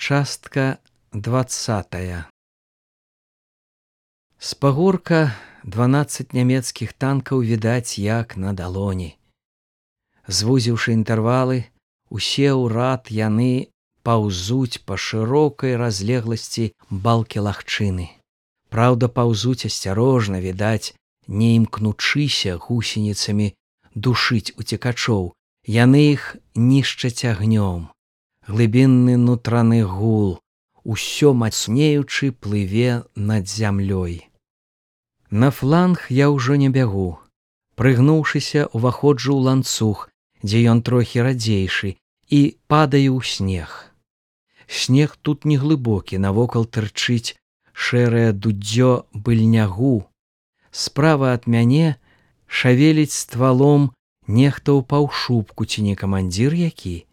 Частка 20. З пагорка 12 нямецкіх танкаў відаць як на далоні. Звузіўшы інтэрвалы, усе ў рад яны паўзуць па шырокай разлегласці балкі лагчыны. Праўда, паўзуць асцярожна, відаць, не імкнучыся гусеніцамі душыць уцекачоў. Яны іх нішчаць агнём. Глыбінны нутраны гул, усё мацнеючы, плыве над зямлёй. На фланг я ўжо не бягу. Прыгнуўшыся, уваходжу ў ланцуг, дзе ён трохі радзейшы, і падаю ў снег. Снег тут не глыбокі, навокал тырчыць шэрае дудзё быльнягу. Справа ад мяне шавеліць ствалом нехта ў паўшубку, ці не камандзір які.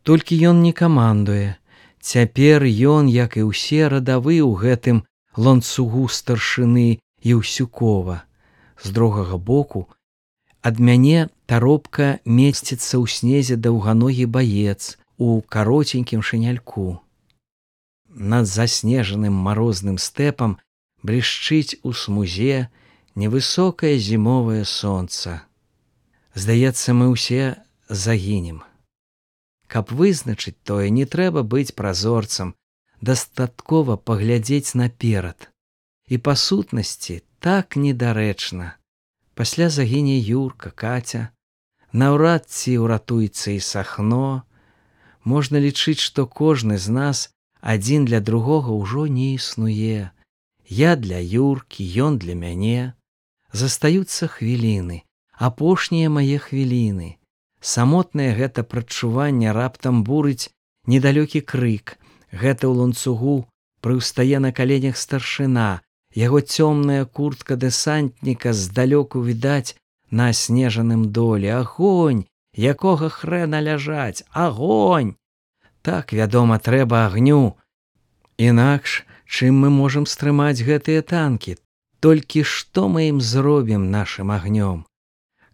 Толькі ён не камандуе. Цяпер ён, як і ўсе, радавы ў гэтым ланцугу старшыны Еўсюкова. З другога боку ад мяне таропка месціцца ў снезе даўганогі баец у кароценькім шыняльку. Над заснежаным марозным стэпам блішчыць у смузе невысокае зімовае сонца. Здаецца, мы ўсе загінем. Каб вызначыць тое, не трэба быць празорцам, дастаткова паглядзець наперад. І па сутнасці так недарэчна. Пасля загіне Юрка, Каця, наўрад ці ўратуецца і Сахно. Можна лічыць, што кожны з нас адзін для другога ўжо не існуе. Я для Юркі, ён для мяне. Застаюцца хвіліны, апошнія мае хвіліны. Самотнае гэта прадчуванне раптам бурыць недалёкі крык. Гэта ў ланцугу прыўстае на каленях старшына. Яго цёмная куртка дэсантніка здалёку відаць на аснежаным доле. Агонь! Якога хрэна ляжаць? Агонь! Так, вядома, трэба агню. Інакш, чым мы можам стрымаць гэтыя танкі? Толькі што мы ім зробім нашым агнём?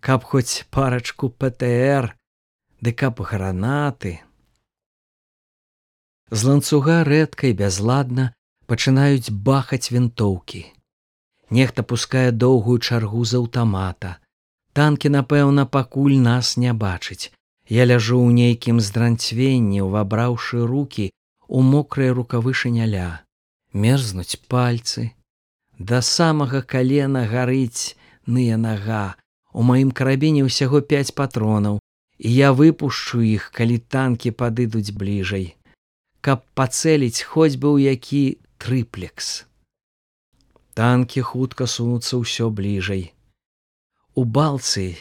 Каб хоць парачку ПТР, ды каб гранаты. З ланцуга рэдка і бязладна пачынаюць бахаць вінтоўкі. Нехта пускае доўгую чаргу з аўтамата. Танкі, напэўна, пакуль нас не бачыць. Я ляжу ў нейкім здранцвенні, увабраўшы рукі ў мокрыя рукавы шыняля. Мерзнуць пальцы. Да самага калена гарыць ная нага. У маім карабіне ўсяго 5 патронаў, і я выпушчу іх, калі танкі падыдуць бліжэй. Каб пацэліць хоць бы ў які трыплекс. Танкі хутка сунуцца ўсё бліжэй. У балцы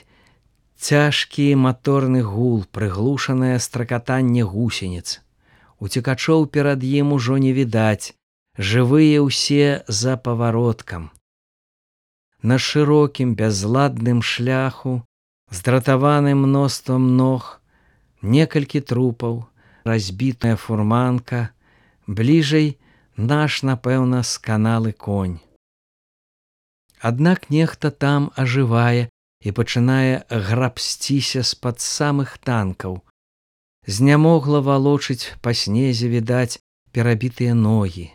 цяжкі маторны гул, прыглушанае стракатанне гусеніц. Уцекачоў перад ім ужо не відаць, жывыя ўсе за павароткам. На шырокім бязладным шляху, здратаваным мноствам ног, некалькі трупаў, разбітая фурманка, бліжэй наш, напэўна, сканалы конь. Аднак нехта там ажывае і пачынае грабсціся з-пад самых танкаў. Знямогла валочыць па снезе, відаць, перабітыя ногі.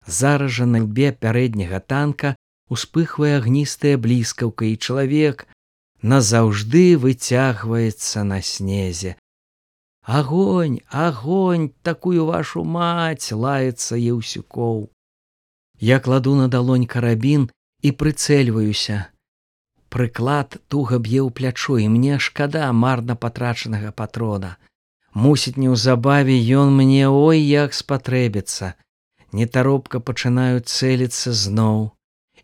Зараз жа на лбе пярэдняга танка успыхвае агністая бліскаўка, і чалавек назаўжды выцягваецца на снезе. Агонь, агонь, такую вашу маць, лаецца Еўсюкоў. Я кладу на далонь карабін і прыцэльваюся. Прыклад туга б'е ў плячо, і мне шкада марна патрачанага патрона. Мусіць, неўзабаве ён мне ой як спатрэбіцца. Нетаропка пачынаю цэліцца зноў.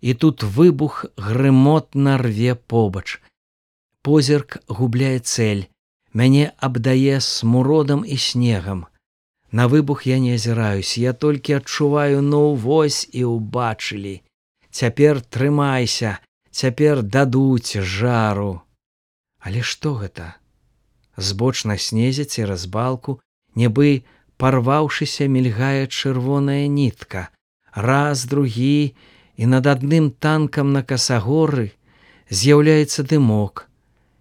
І тут выбух грымотна рве побач. Позірк губляе цэль. Мяне абдае смуродам і снегам. На выбух я не азіраюсь, я толькі адчуваю, ну вось і ўбачылі. Цяпер трымайся, цяпер дадуць жару. Але што гэта? Збоч на снезе цераз балку, нібы парваўшыся, мільгае чырвоная нітка. Раз, другі, і над адным танкам на касагоры з'яўляецца дымок.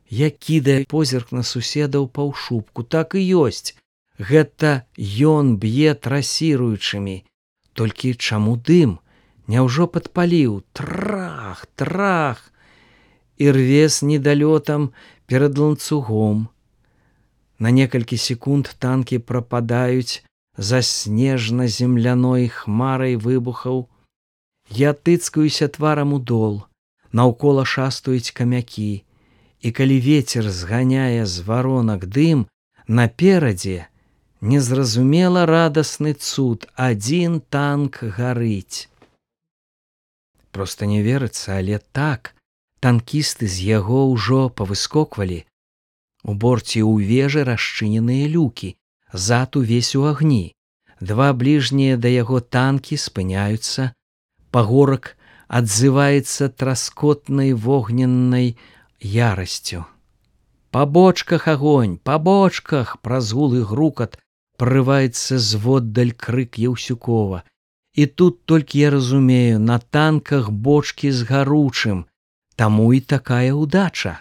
Я кідаю позірк на суседа ў паўшубку. Так і ёсць. Гэта ён б'е трасіруючымі. Толькі чаму дым? Няўжо падпаліў? Трах, трах! І рве з недалётам перад ланцугом. На некалькі секунд танкі прападаюць за снежна-земляной хмарай выбухаў. Я тыцкаюся тварам у дол, наўкола шастаюць камякі, і калі вецер зганяе з варонак дым, наперадзе незразумела радасны цуд, адзін танк гарыць. Проста не верыцца, але так, танкісты з яго ўжо павыскоквалі. У борце ў вежы расчыненыя люкі, зад увесь у агні. Два бліжнія да яго танкі спыняюцца. Пагорак адзываецца траскотнай вогненнай ярасцю. Па бочках агонь, па бочках! Праз гулы грукат прорываецца зводдаль крык Яўсюкова. І тут толькі я разумею, на танках бочкі з гаручым, таму і такая ўдача.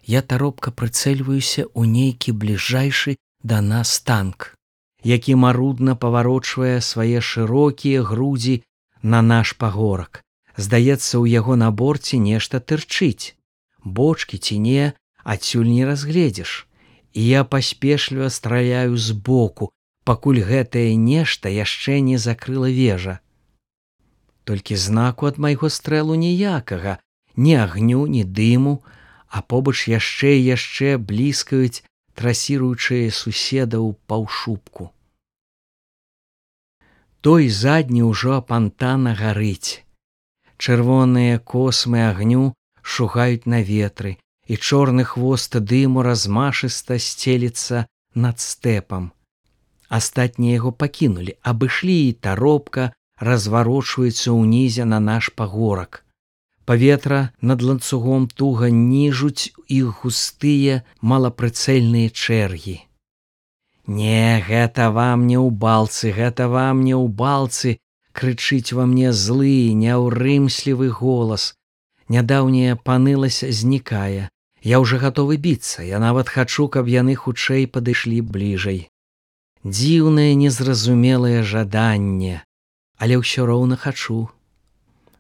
Я таропка прыцэльваюся ў нейкі бліжэйшы да нас танк, які марудна паварочвае свае шырокія грудзі на наш пагорак. Здаецца, у яго на борце нешта тырчыць. Бочкі ці не, адсюль не разгледзіш. І я паспешліва страляю збоку, пакуль гэтае нешта яшчэ не закрыла вежа. Толькі знаку ад майго стрэлу ніякага, ні агню, ні дыму, а побач яшчэ і яшчэ бліскаюць трасіруючыя суседаў паўшубку. Той задні ўжо апантана гарыць. Чырвоныя космы агню шугаюць на ветры, і чорны хвост дыму размашыста сцеліцца над стэпам. Астатнія яго пакінулі, абышлі, і таропка разварочваецца ўнізе на наш пагорак. Паветра над ланцугом туга ніжуць іх густыя малапрыцэльныя чэргі. «Не, гэта вам не ў балцы, гэта вам не ў балцы!» крычыць ва мне злы, няўрымслівы голас. Нядаўняя панылася знікае. Я ўжо гатовы біцца, я нават хачу, каб яны хутчэй падышлі бліжэй. Дзіўнае незразумелае жаданне, але ўсё роўна хачу.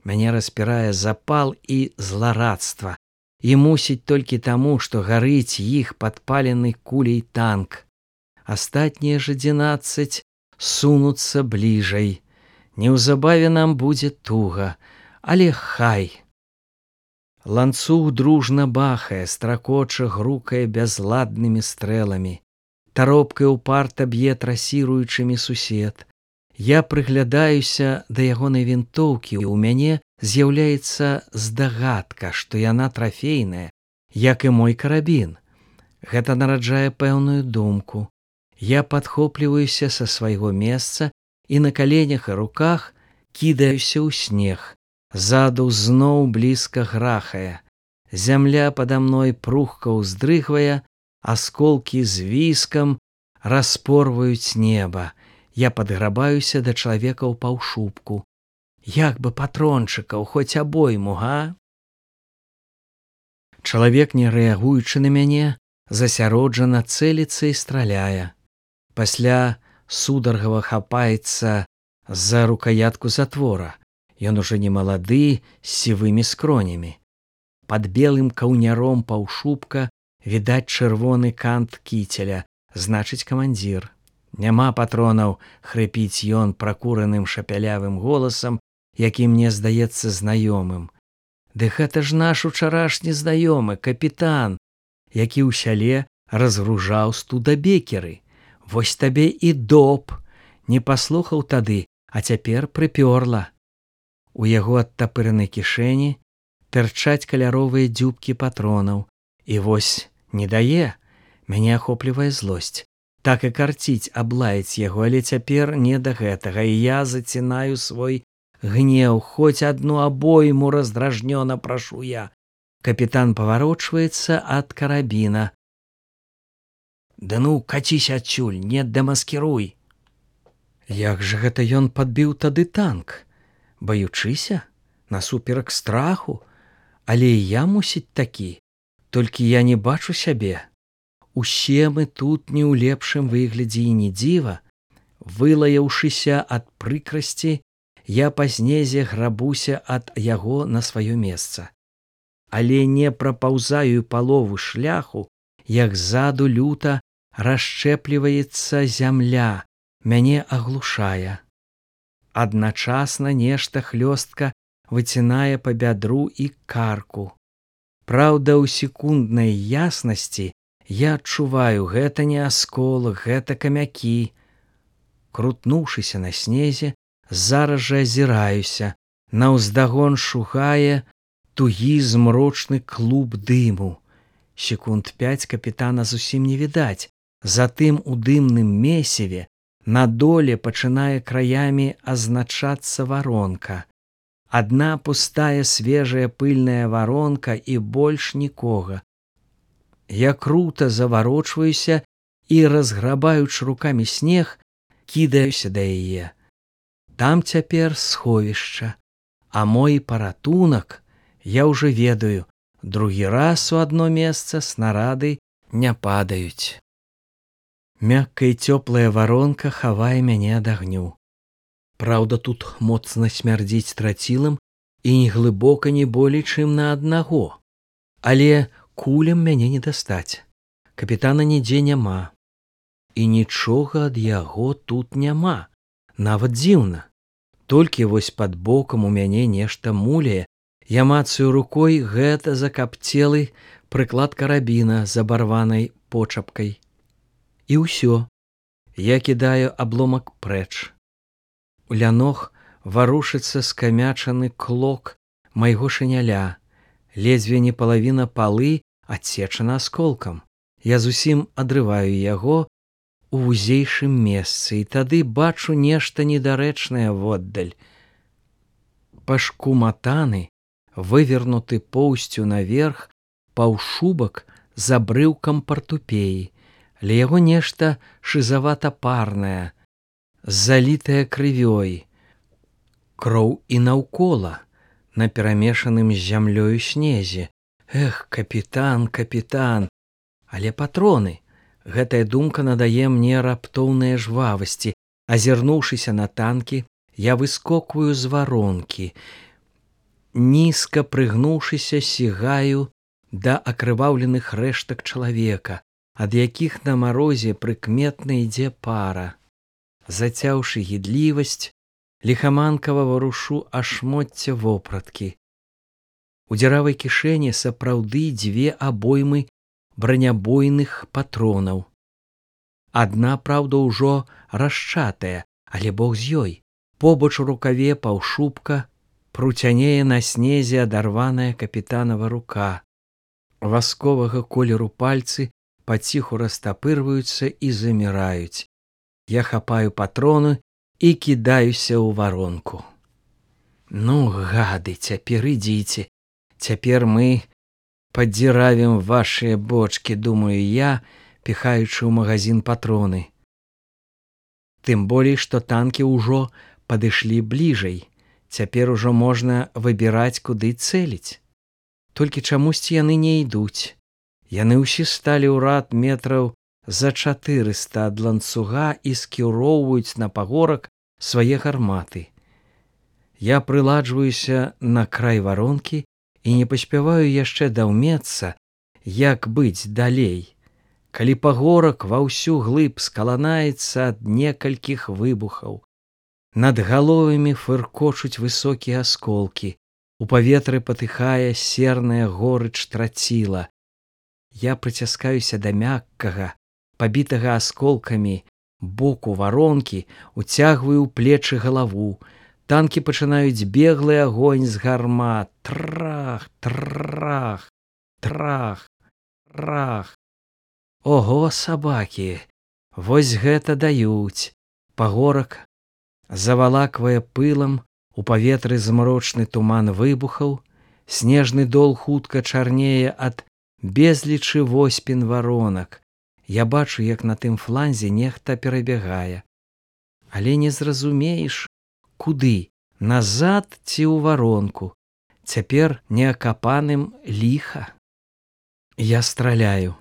Мяне распірае запал і зларадства, і мусіць толькі таму, што гарыць іх падпалены куляй танк. Астатнія ж 11 сунуцца бліжэй. Неўзабаве нам будзе туга, але хай. Ланцуг дружна бахае, стракоча, грукае бязладнымі стрэламі. Таропкай упарта б'е трасіруючымі сусед. Я прыглядаюся да ягонай вінтоўкі, і ў мяне з'яўляецца здагадка, што яна трафейная, як і мой карабін. Гэта нараджае пэўную думку. Я падхопліваюся са свайго месца і на каленях і руках кідаюся ў снег. Ззаду зноў блізка грахае. Зямля пада мной прухка ўздрыгвае, асколкі з віскам распорваюць неба. Я падграбаюся да чалавека ў паўшубку. Як бы патрончыкаў, хоць абойму, га? Чалавек, не рэагуючы на мяне, засяроджана цэліцца і страляе. Пасля сударгава хапаецца за рукаятку затвора. Ён ужо не малады, з сівымі скронямі. Пад белым каўняром паўшубка відаць чырвоны кант кіцеля, значыць, камандзір. Няма патронаў, хрыпіць ён пракураным шапялявым голасам, які мне здаецца знаёмым. Ды гэта ж наш учарашні знаёмы, капітан, які ў сяле разгружаў студабекеры. Вось табе і доп. Не паслухаў тады, а цяпер прыпёрла. У яго адтапырнай кішэні тырчаць каляровыя дзюбкі патронаў. І вось не дае. Мяне ахоплівае злосць. Так і карціць аблаяць яго, але цяпер не да гэтага, і я зацінаю свой гнеў. Хоць адну абойму раздражнёна прашу я. Капітан паварочваецца ад карабіна. «Да ну, каціся адсюль, не дэмаскіруй!» Як жа гэта ён падбіў тады танк? Баючыся? Насуперак страху? Але і я, мусіць, такі. Толькі я не бачу сябе. Усе мы тут не ў лепшым выглядзе і не дзіва. Вылаяўшыся ад прыкрасці, я па снезе грабуся ад яго на сваё месца. Але не прапаўзаю палову шляху, як ззаду люта расшчэпліваецца зямля, мяне аглушае. Адначасна нешта хлёстка выцінае па бядру і карку. Праўда, у секунднай яснасці я адчуваю, гэта не асколак, гэта камякі. Крутнуўшыся на снезе, зараз жа азіраюся, наўздагон шугае тугі змрочны клуб дыму. Секунд 5 капітана зусім не відаць, затым у дымным месіве на доле пачынае краямі азначацца варонка. Адна пустая свежая пыльная варонка і больш нікога. Я крута заварочваюся і, разграбаючы рукамі снег, кідаюся да яе. Там цяпер сховішча, а мой паратунак, я ўжо ведаю, другі раз у адно месца снарады не падаюць. Мяккая і цёплая варонка хавае мяне ад агню. Праўда, тут моцна смярдзіць трацілам і не глыбока не болей, чым на аднаго. Але кулям мяне не дастаць. Капітана нідзе няма. І нічога ад яго тут няма. Нават дзіўна. Толькі вось пад бокам у мяне нешта муляе. Я мацаю рукой, гэта закапцелы прыклад карабіна з абарванай почапкай. І ўсё. Я кідаю абломак прэч. У лянох варушыцца скамячаны клок майго шыняля. Ледзьве не палавіна палы адсечана асколкам. Я зусім адрываю яго у вузейшым месцы, і тады бачу нешта недарэчнае воддаль. Пашкуматаны, вывернуты поўсцю наверх, паўшубак з абрыўкам партупеі. Ля яго нешта шызавата-парнае, залітае крывёй. Кроў і наўкола, на перамешаным з зямлёю снезе. Эх, капітан, капітан! Але патроны! Гэтая думка надае мне раптоўныя жвавасці. Азірнуўшыся на танкі, я выскокваю з варонкі. Нізка прыгнуўшыся, сігаю да акрываўленых рэштак чалавека, ад якіх на марозе прыкметна ідзе пара. Зацяўшы гідлівасць, ліхаманкава варушу ашмоцце вопраткі. У дзіравай кішэні сапраўды 2 абоймы бранябойных патронаў. Адна, праўда, ўжо расчатая, але бог з ёй. Побач у рукаве паўшубка пруцянее на снезе адарваная капітанава рука. Васковага колеру пальцы паціху растапырваюцца і заміраюць. Я хапаю патроны і кідаюся ў варонку. Ну, гады, цяпер ідзіце. Цяпер мы падзіравім вашыя бочкі, думаю я, піхаючы ў магазин патроны. Тым болей, што танкі ўжо падышлі бліжэй. Цяпер ужо можна выбіраць, куды цэліць. Толькі чамусьці яны не ідуць. Яны ўсе сталі ў рад метраў за 400 ад ланцуга і скіроўваюць на пагорак свае гарматы. Я прыладжваюся на край варонкі і не паспяваю яшчэ даўмецца, як быць далей, калі пагорак ва ўсю глыб скаланаецца ад некалькіх выбухаў. Над галовамі фыркочуць высокія асколкі, у паветры патыхае серная горыч траціла. Я прыціскаюся да мяккага, пабітага асколкамі боку варонкі, уцягваю ў плечы галаву. Танкі пачынаюць беглы агонь з гармат. Трах, трах, трах, трах. Ого, сабакі, вось гэта даюць. Пагорак завалаквае пылам, у паветры змрочны туман выбухаў, снежны дол хутка чарнее ад безлічы воспін варонак. Я бачу, як на тым фланзе нехта перабягае. Але не зразумееш, куды, назад ці ў варонку. Цяпер неакапаным ліха. Я страляю.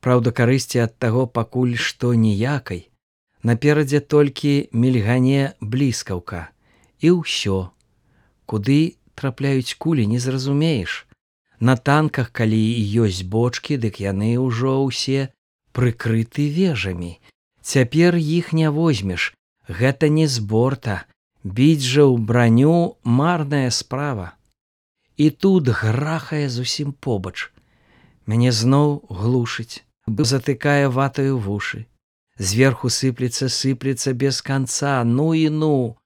Праўда, карысці ад таго пакуль што ніякай. Наперадзе толькі мільгане бліскаўка. І ўсё. Куды трапляюць кулі, не зразумееш. На танках, калі і ёсць бочкі, дык яны ўжо ўсе прыкрыты вежамі. Цяпер іх не возьмеш. Гэта не з борта. Біць жа ў браню марная справа. І тут грахае зусім побач. Мяне зноў глушыць, затыкае ватаю вушы. Зверху сыплецца без канца, ну і ну.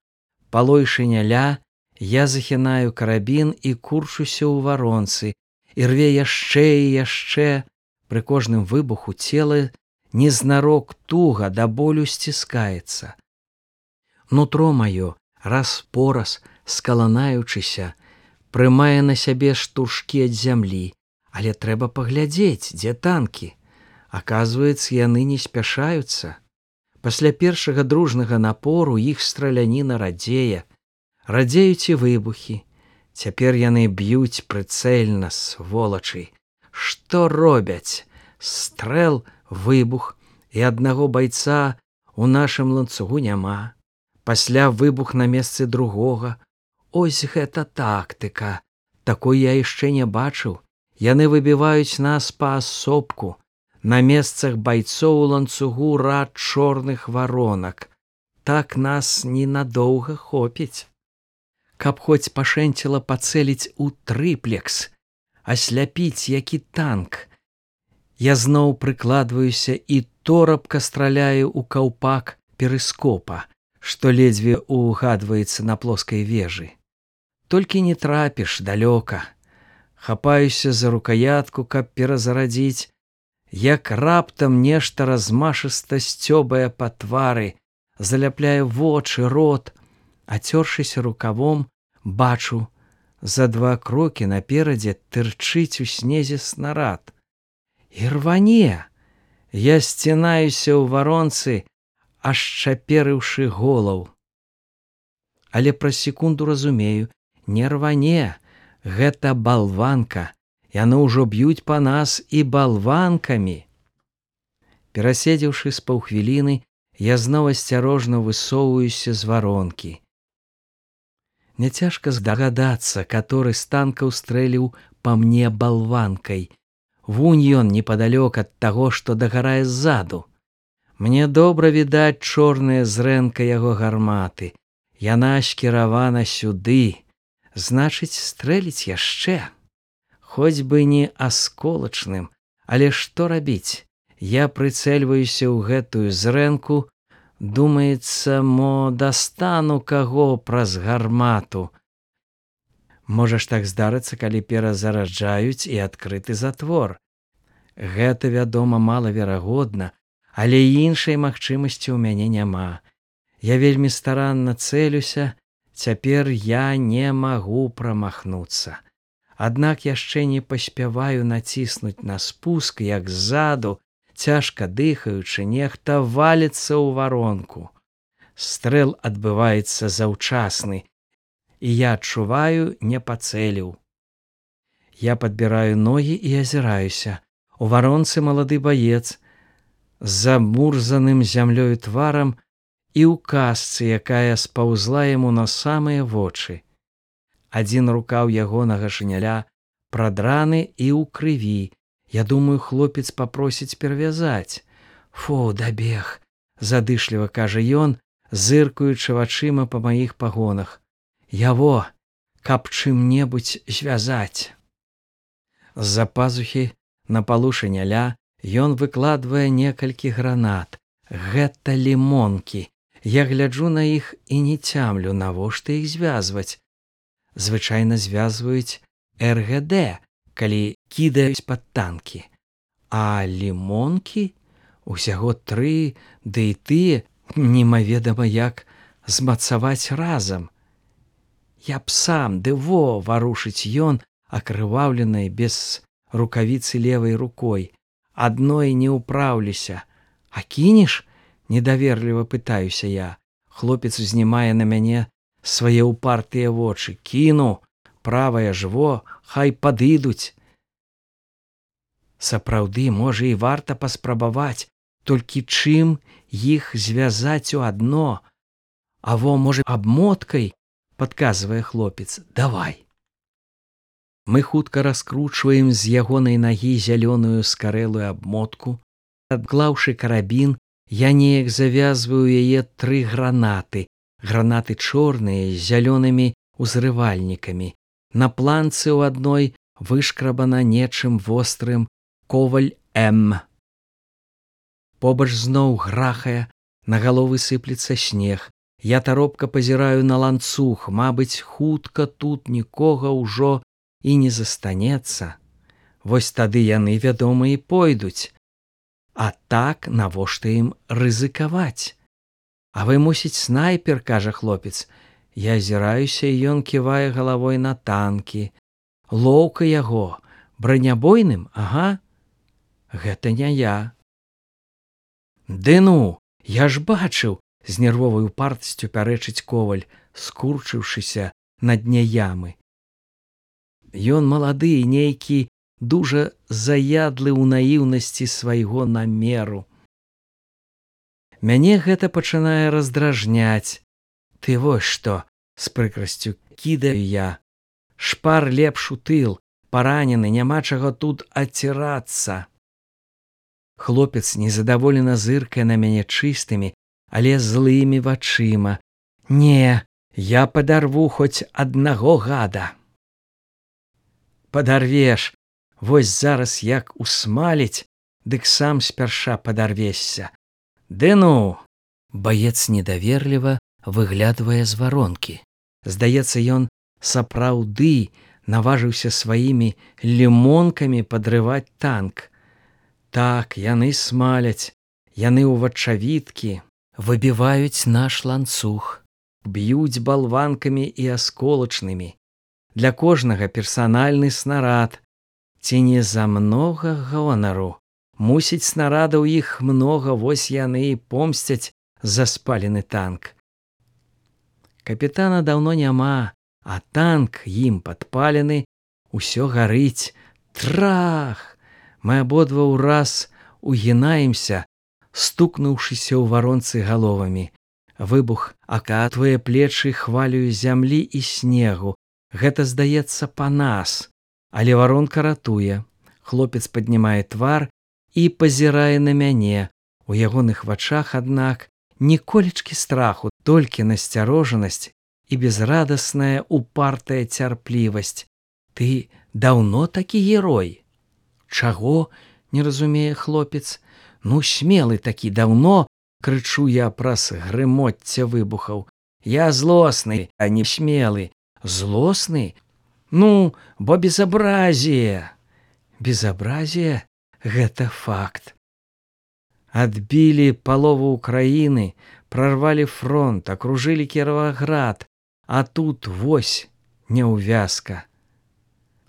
Палой шыняля, я захінаю карабін і курчуся ў варонцы, і рве яшчэ і яшчэ. Пры кожным выбуху цела незнарок туга да болю сціскаецца. Нутро маё, раз-пораз, скаланаючыся, прымае на сябе штуршкі ад зямлі, але трэба паглядзець, дзе танкі. Аказваецца, яны не спяшаюцца. Пасля першага дружнага напору іх страляніна радзее. Радзеюць і выбухі. Цяпер яны б'юць прыцэльна, сволачы. Што робяць? Стрэл, выбух, і аднаго байца ў нашым ланцугу няма. Пасля выбух на месцы другога. Ось гэта тактыка. Такой я яшчэ не бачыў. Яны выбіваюць нас паасобку. На месцах байцоў у ланцугу рад чорных варонак. Так нас ненадоўга хопіць. Каб хоць пашэнціла пацэліць у трыплекс, асляпіць які танк. Я зноў прыкладваюся і торапка страляю ў каўпак перыскопа, што ледзьве угадваецца на плоскай вежы. Толькі не трапіш далёка. Хапаюся за рукаятку, каб перазарадзіць, як раптам нешта размашыста сцёбае па твары, заляпляе вочы, рот. Ацёршыся рукавом, бачу, за 2 крокі наперадзе тырчыць у снезе снарад. І рване! Я сцінаюся ў варонцы, ашчаперыўшы голаў. Але праз секунду разумею, не рване, гэта балванка. Яны ўжо б'юць па нас і балванкамі. Пераседзеўшы з паўхвіліны, я зноў асцярожна высоўваюся з варонкі. Няцяжка здагадацца, каторы з танкаў стрэліў па мне балванкай. Вунь ён непадалёк ад таго, што дагарае ззаду. Мне добра відаць чорная зрэнка яго гарматы. Яна скіравана сюды. Значыць, стрэліць яшчэ. Хоць бы не асколачным, але што рабіць? Я прыцэльваюся ў гэтую зрэнку, думаецца, мо дастану каго праз гармату. Можа ж так здарыцца, калі перазараджаюць і адкрыты затвор. Гэта, вядома, малаверагодна, але іншай магчымасці ў мяне няма. Я вельмі старанна цэлюся, цяпер я не магу прамахнуцца. Аднак яшчэ не паспяваю націснуць на спуск, як ззаду, цяжка дыхаючы, нехта валіцца ў варонку. Стрэл адбываецца заўчасны, і я адчуваю, не пацэліў. Я падбіраю ногі і азіраюся. У варонцы малады баец, з замурзаным зямлёю тварам і ў касцы, якая спаўзла яму на самыя вочы. Адзін рукаў ягонага шыняля прадраны і ў крыві. Я думаю, хлопец папросіць перавязаць. Фу, дабег, задышліва кажа ён, зыркаючы вачыма па маіх пагонах. Яво, каб чым-небудзь звязаць. З-за пазухі на палу шыняля ён выкладвае некалькі гранат. Гэта лімонкі. Я гляджу на іх і не цямлю, навошта іх звязваць. Звычайна звязваюць РГД, калі кідаюць пад танкі. А лімонкі? Усяго 3, ды і тыя немаведама як змацаваць разам. Я б сам, ды во, варушыць ён, акрываўленай без рукавіцы левай рукой. Адной не ўпраўлюся. А кінеш? Недаверліва пытаюся я. Хлопец узнімае на мяне свае ўпартыя вочы. Кіну, правая ж во, хай падыдуць. Сапраўды, можа, і варта паспрабаваць, толькі чым іх звязаць у адно? Аво, можа, абмоткай, падказвае хлопец. Давай. Мы хутка раскручваем з ягонай нагі зялёную скарэлую абмотку. Адклаўшы карабін, я неяк завязваю яе 3 гранаты. Гранаты чорныя з зялёнымі узрывальнікамі. На планцы ў адной вышкрабана нечым вострым коваль М. Побач зноў грахае, на галовы сыплецца снег. Я таропка пазіраю на ланцуг, мабыць, хутка тут нікога ўжо і не застанецца. Вось тады яны, вядома, і пойдуць. А так навошта ім рызыкаваць? А вы, мусіць, снайпер, кажа хлопец. Я азіраюся, і ён ківае галавой на танкі. Лоўка яго, бранябойным, ага. Гэта не я. Ды ну, я ж бачыў, з нервовай упартасцю пярэчыць коваль, скурчыўшыся на дне ямы. Ён малады і нейкі дужа заядлы ў наіўнасці свайго намеру. Мяне гэта пачынае раздражняць. Ты вось што, з прыкрасцю кідаю я. Шпар лепш у тыл, паранены, няма чаго тут адцірацца. Хлопец незадаволена зыркае на мяне чыстымі, але злымі вачыма. Не, я падарву хоць аднаго гада. Падарвеш, вось зараз як усмаліць, дык сам спярша падарвешся. Ды ну! Баец недаверліва выглядвае з варонкі. Здаецца, ён сапраўды наважыўся сваімі лімонкамі падрываць танк. Так, яны смаляць, яны ўвачавіткі, выбіваюць наш ланцуг, б'юць балванкамі і асколачнымі. Для кожнага персанальны снарад. Ці не за многа гонару? Мусіць, снарадаў іх многа, вось яны і помсцяць за спалены танк. Капітана даўно няма, а танк ім падпалены, усё гарыць. Трах! Мы абодва ўраз угінаемся, стукнуўшыся ў варонцы галовамі. Выбух акатвае плечы хвалю зямлі і снегу. Гэта, здаецца, па нас, але варонка ратуе. Хлопец паднімае твар і пазірае на мяне. У ягоных вачах, аднак, ніколечкі страху, толькі насцярожанасць і безрадасная упартая цярплівасць. Ты даўно такі герой? Чаго? Не разумее хлопец. Ну, смелы такі даўно, крычу я праз грымоцце выбухаў. Я злосны, а не смелы. Злосны? Ну, бо безабразие. Безабразие? Гэта факт. Адбілі палову Украіны, прарвалі фронт, акружылі Кіраваград, а тут вось няўвязка.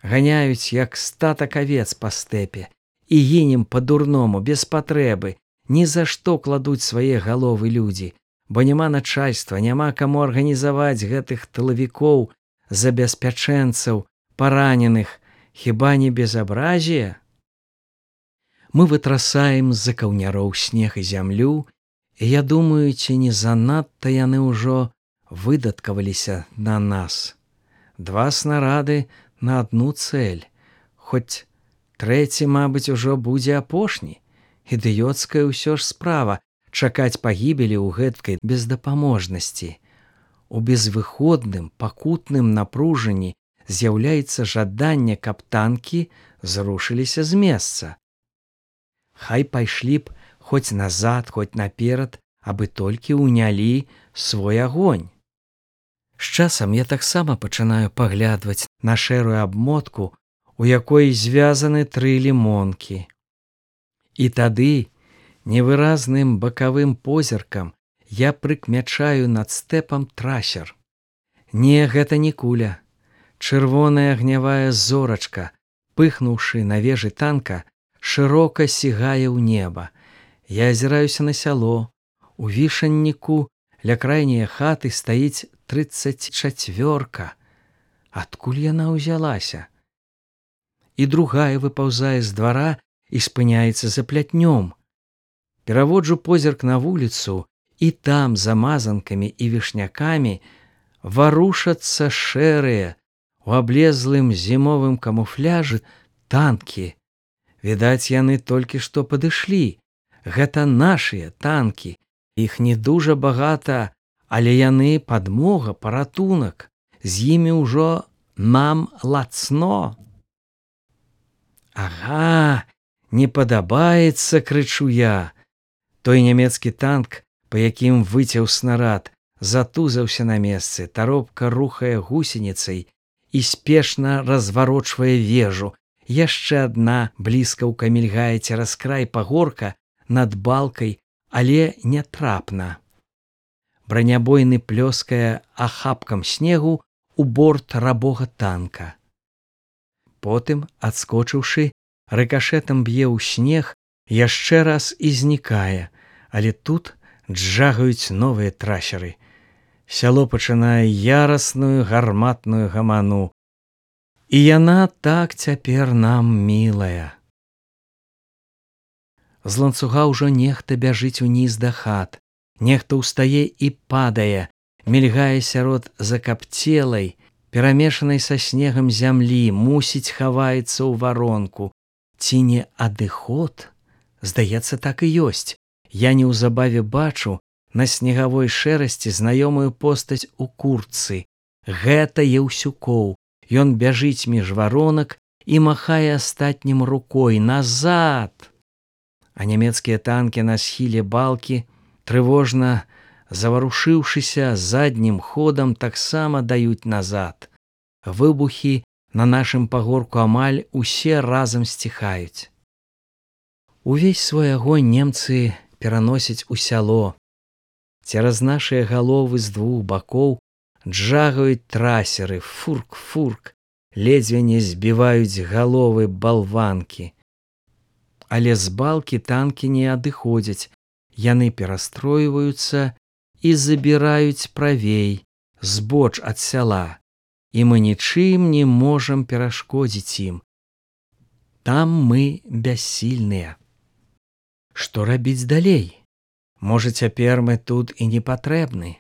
Ганяюць, як статак авец па стэпе, і гінем па-дурному, без патрэбы, ні за што кладуць свае галовы людзі, бо няма начальства, няма каму арганізаваць гэтых тылавікоў, забеспячэнцаў, параненых. Хіба не безабразие? Мы вытрасаем з-за каўняроў снег і зямлю, і я думаю, ці не занадта яны ўжо выдаткаваліся на нас. 2 снарады на адну цэль, хоць трэці, мабыць, ужо будзе апошні. Ідыёцкая ўсё ж справа чакаць пагібелі ў гэткай бездапаможнасці. У безвыходным, пакутным напружанні з'яўляецца жаданне, каб танкі зрушыліся з месца. Хай пайшлі б хоць назад, хоць наперад, абы толькі ўнялі свой агонь. З часам я таксама пачынаю паглядваць на шэрую абмотку, у якой звязаны 3 лімонкі. І тады невыразным бакавым позіркам я прыкмячаю над стэпам трасер. Не, гэта не куля. Чырвоная агнявая зорачка, пыхнуўшы на вежы танка, шырока сігае ў неба. Я азіраюся на сяло. У вішанніку ля крайняе хаты стаіць 34-ка. Адкуль яна ўзялася? І другая выпаўзае з двара і спыняецца за плятнём. Пераводжу позірк на вуліцу, і там за мазанкамі і вішнякамі варушацца шэрыя у аблезлым зімовым камуфляжы танкі. Відаць, яны толькі што падышлі. Гэта нашыя танкі. Іх не дужа багата, але яны падмога, паратунак. З імі ўжо нам лацно. Ага, не падабаецца, крычу я. Той нямецкі танк, па якім выцяў снарад, затузаўся на месцы, таропка рухае гусеніцай і спешна разварочвае вежу. Яшчэ адна бліскаўка мільгае цераз край пагорка над балкай, але нятрапна. Бранябойны плёскае ахапкам снегу у борт рабога танка. Потым, адскочыўшы, рыкашэтам б'е ў снег, яшчэ раз і знікае, але тут джагаюць новыя трасеры. Сяло пачынае ярасную гарматную гаману. І яна так цяпер нам мілая. З ланцуга ўжо нехта бяжыць уніз да хат, нехта ўстае і падае, мільгае сярод закапцелай, перамешанай са снегам зямлі, мусіць хаваецца ў варонку. Ці не адыход? Здаецца, так і ёсць. Я неўзабаве бачу на снегавой шэрасці знаёмую постаць у куртцы. Гэта Еўсюкоў. Ён бяжыць між варонак і махае астатнім рукой назад. А нямецкія танкі на схіле балкі, трывожна заварушыўшыся заднім ходам, таксама даюць назад. Выбухі на нашым пагорку амаль усе разам сціхаюць. Увесь свой агонь немцы пераносяць у сяло. Цераз нашыя галовы з двух бакоў джагаюць трасеры, фурк-фурк, ледзьве не збіваюць галовы балванкі. Але з балкі танкі не адыходзяць, яны перастройваюцца і забіраюць правей, збоч ад сяла, і мы нічым не можам перашкодзіць ім. Там мы бяссільныя. Што рабіць далей? Можа, цяпер мы тут і не патрэбны?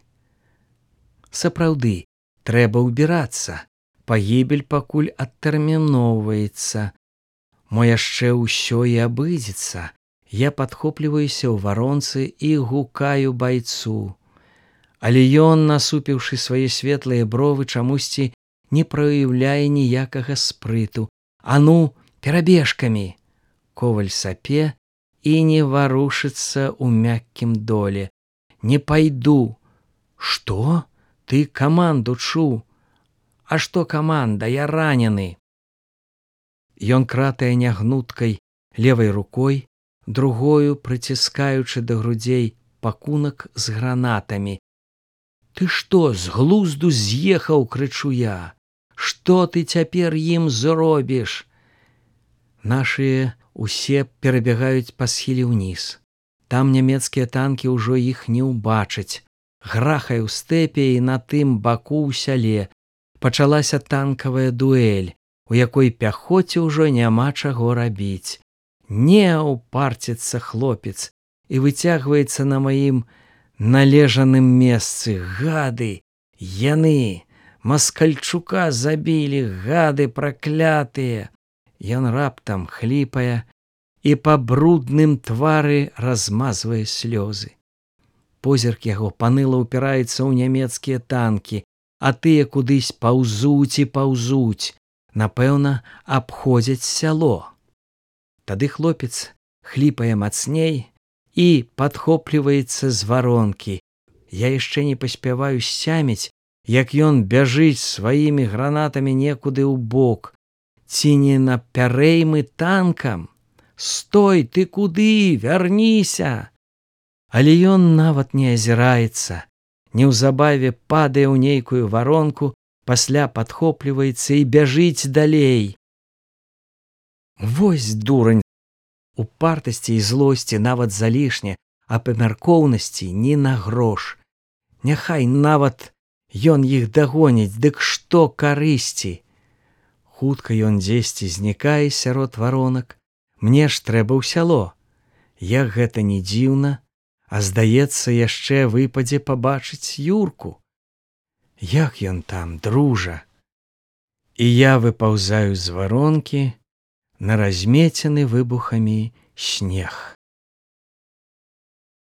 Сапраўды, трэба ўбірацца. Пагібель пакуль адтэрміноўваецца. Мо яшчэ ўсё і абыдзецца. Я падхопліваюся ў варонцы і гукаю байцу. Але ён, насупіўшы свае светлыя бровы, чамусьці не праяўляе ніякага спрыту. А ну, перабежкамі! Коваль сапе і не варушыцца ў мяккім доле. Не пайду. Што? Ты каманду чуў? А што каманда? Я ранены. Ён кратае нягнуткай левай рукой, другою прыціскаючы да грудзей пакунак з гранатамі. Ты што, з глузду з'ехаў, крычу я. Што ты цяпер ім зробіш? Нашыя усе перабягаюць па схіле ўніз. Там нямецкія танкі ўжо іх не ўбачаць. Грахае ў стэпе і на тым баку ў сяле. Пачалася танкавая дуэль, у якой пяхоце ўжо няма чаго рабіць. Не упарціцца хлопец і выцягваецца на маім належаным месцы. Гады! Яны! Маскальчука забілі, гады праклятыя! Ён раптам хліпае і па брудным твары размазвае слёзы. Позірк яго паныла ўпіраецца ў нямецкія танкі, а тыя кудысь паўзуць і паўзуць. Напэўна, абходзяць сяло. Тады хлопец хліпае мацней і падхопліваецца з варонкі. Я яшчэ не паспяваю сцяміць, як ён бяжыць сваімі гранатамі некуды ў бок. Ці не на пярэймы танкам? Стой, ты куды? Вярніся! Але ён нават не азіраецца. Неўзабаве падае ў нейкую варонку, пасля падхопліваецца і бяжыць далей. Вось дурань! Упартасці і злосці нават залішне, а памяркоўнасці ні на грош. Няхай нават ён іх дагоніць, дык што карысці? Хутка ён дзесьці знікае сярод варонак, Мне ж трэба ў сяло. Як гэта не дзіўна, а здаецца, яшчэ выпадзе пабачыць Юрку. Як ён там, дружа? І я выпаўзаю з варонкі на размецены выбухамі снег.